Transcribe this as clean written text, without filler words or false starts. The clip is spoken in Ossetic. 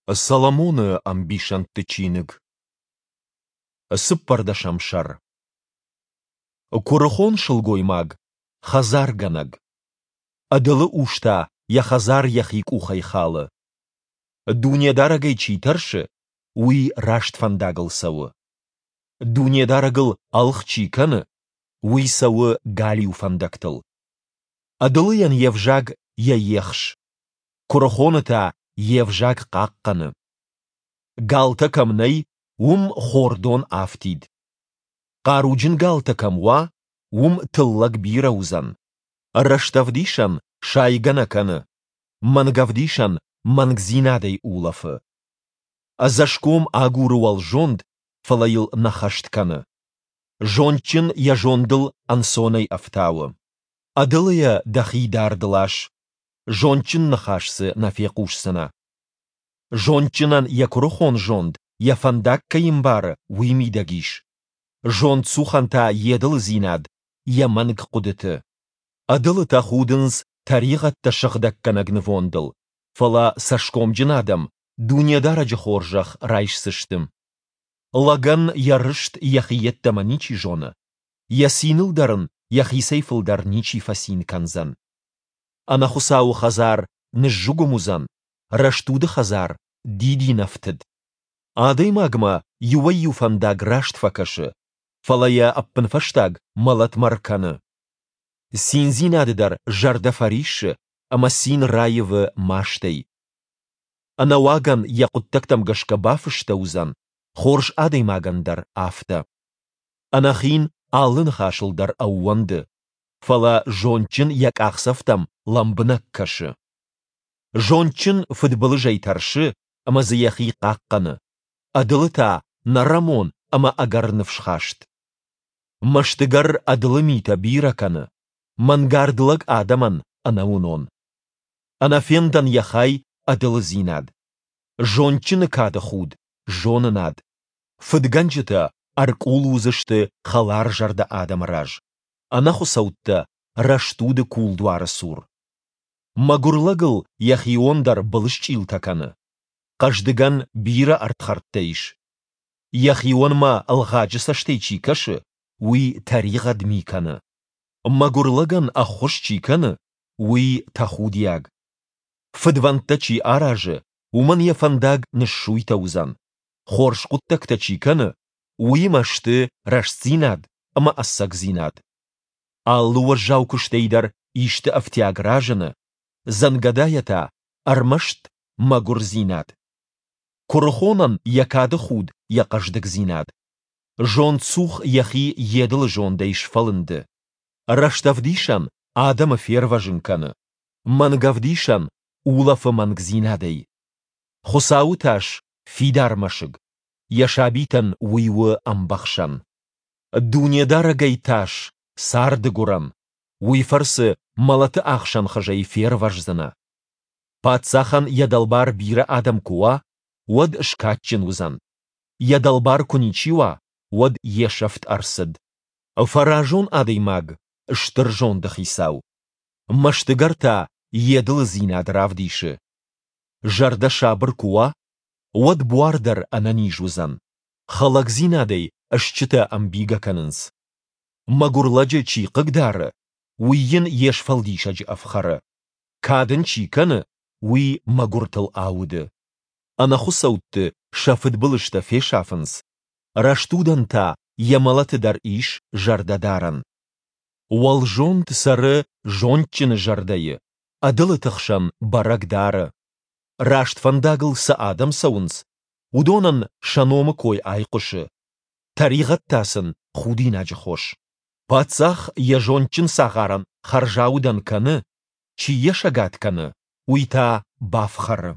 Соломоны ӕмбисӕндты чиныг. Цыппӕрдӕсӕм сӕр. Куырыхон сылгоймаг, хӕдзаргӕнӕг. Ӕдылы ус та йӕ хӕдзар йӕхи къухӕй халы. Дунедарӕгӕй чи тӕрсы, уый раст фӕндагыл цӕуы. Дунедарӕгыл ӕлгъ чи кӕны, уый цӕуы галиу фӕндӕгтыл. Ӕдылыйӕн йе взаг йӕ ехс, куырыхоны та йе взаг хъахъхъӕны. Галтӕ кӕм нӕй, уым хордон афтид. Хъаруджын галтӕ кӕм уа, уым тыллӕг бирӕ уыдзӕн. Рӕстӕвдисӕн сайгӕ нӕ кӕны, мӕнгӕвдисӕн мӕнгдзинадӕй улӕфы. Ӕдзӕсгом агуры уӕлзонд, фӕлӕ йыл нӕ хӕст кӕны. Зондджын йӕ зондыл ӕнцонӕй ӕфтауы. Ӕдылыйӕ дӕхи дард лас, зондджын ныхас дзы нӕ фехъусдзынӕ. Зондджынӕн йӕ куырыхон зонд, йӕ фӕндаг кӕй ӕмбары, уый мидӕг ис. Зондцухӕн та йе дылыдзинад, йӕ мӕнг хъуыдыты. Ӕдылытӕ худынц тӕригъӕдтӕ сыгъдӕггӕнӕг нывондыл, фӕлӕ цӕсгомджын адӕм Дунедарӕджы хорзӕх райсдзысты. Лӕгӕн йӕ рыст йӕхи йеддӕмӕ ничи зоны, йӕ циныл дӕр ын йӕхицӕй фылдӕр ничи фӕцин кӕндзӕн. Ӕнӕхуыцауы хӕдзар ныззыгуым уыдзӕн, рӕстуды хӕдзар дидинӕфтыд. Адӕймагмӕ иуӕй-иу фӕндаг раст фӕкӕсы, фӕлӕ йӕ ӕппынфӕстаг мӕлӕтмӕ ркӕны. Циндзинады дӕр зӕрдӕ фӕриссы ӕмӕ цин раивы мастӕй. Ӕнӕуагӕн йӕ хъуыддӕгтӕм гӕсгӕ бафыстӕуыдзӕн, хорз адӕймагӕн дӕр афтӕ. Ӕнӕхин алы ныхасыл дӕр ӕууӕнды, фӕлӕ зондджын йӕ къахдзӕфтӕм лӕмбынӕг кӕсы. Зондджын фыдбылызӕй тӕрсы ӕмӕ дзы йӕхи хъахъхъӕны, ӕдылы та нӕрӕмон ӕмӕ ӕгӕр ныфсхаст. Мӕстыгӕр ӕдылы митӕ бирӕ кӕны, мӕнгард лӕг адӕмӕн ӕнӕуынон. Ӕнӕфендӕн йӕ хай ӕдылыдзинад. Зондджыны кады худ зонынад. Фыдгӕнджытӕ ӕркъул уыдзысты хӕларзӕрдӕ адӕмы раз, ӕнӕхуыцӕуттӕ рӕстуды кулдуары цур. Мӕгуыр лӕгыл йӕхион дӕр былысчъилтӕ кӕны. Хъӕздыгӕн бирӕ ӕрдхӕрдтӕ ис. Йӕхионмӕ ӕлгъаджы цӕстӕй чи кӕсы, уый тӕригъӕд ми кӕны. Мӕгуыр лӕгӕн ӕххуыс чи кӕны, уый тӕхудиаг. Фыдвӕндтӕ чи аразы, уымӕн йӕ фӕндаг ныссуйтӕ уыдзӕн. Хорз хъуыддӕгтӕ чи кӕны, уыимӕ сты рӕстдзинад ӕмӕ ӕцӕгдзинад. Алы уӕззау куыстӕй дӕр исты ӕфтиаг разыны, дзӕнгӕдайӕ та ӕрмӕст мӕгуырдзинад. Куырыхонӕн йӕ кады худ йӕ хъӕздыгдзинад. Зондцух йӕхи йе дылы зондӕй сфӕлынды. Рӕстӕвдисӕн адӕмы фервӕзын кӕны, мӕнгӕвдисӕн улӕфы мӕнгдзинадӕй. Хуыцауы тас фидар мӕсыг, йӕ сабитӕн уый у ӕмбӕхсӕн. Дунедарӕгӕй тас царды гуырӕн, уый фӕрцы мӕлӕты ӕхсӕн хызӕй фервӕздзынӕ. Паддзахӕн йӕ дӕлбар бирӕ адӕм куы уа, уӕд скадджын уыдзӕн. Йӕ дӕлбар куы ничи уа, уӕд йе сӕфт ӕрцыд. Фӕразон адӕймаг стыр зонды хицау. Мӕстыгӕр та йе дылыдзинад равдисы. Зӕрдӕ сабыр куы уа, уӕд буар дӕр ӕнӕниз уыдзӕн. Хӕлӕгдзинадӕй стджытӕ ӕмбийгӕ кӕнынц. Мӕгуыр лӕджы чи хъыгдары, уый йын йе сфӕлдисӕджы ӕфхӕры. Кад ын чи кӕны, уый мӕгуыртыл ауды. Ӕнӕхуыцӕутты сӕ фыдбылызтӕ фесафынц, рӕстудӕн та йӕ мӕлӕты дӕр ис зӕрдӕдарӕн. Уӕлзонд цӕры зондджыны зӕрдӕйы, ӕдылыты хсӕн бӕрӕг дары. Раст фӕндагыл цы адӕм цӕуынц, уыдонӕн сӕ номы кой айхъуысы, тӕригъӕд та сын худинаджы хос. Паддзах йӕ зондджын цагъарӕн хӕрзаудӕн кӕны, чи йӕ сӕгад кӕны, уый та бафхӕры.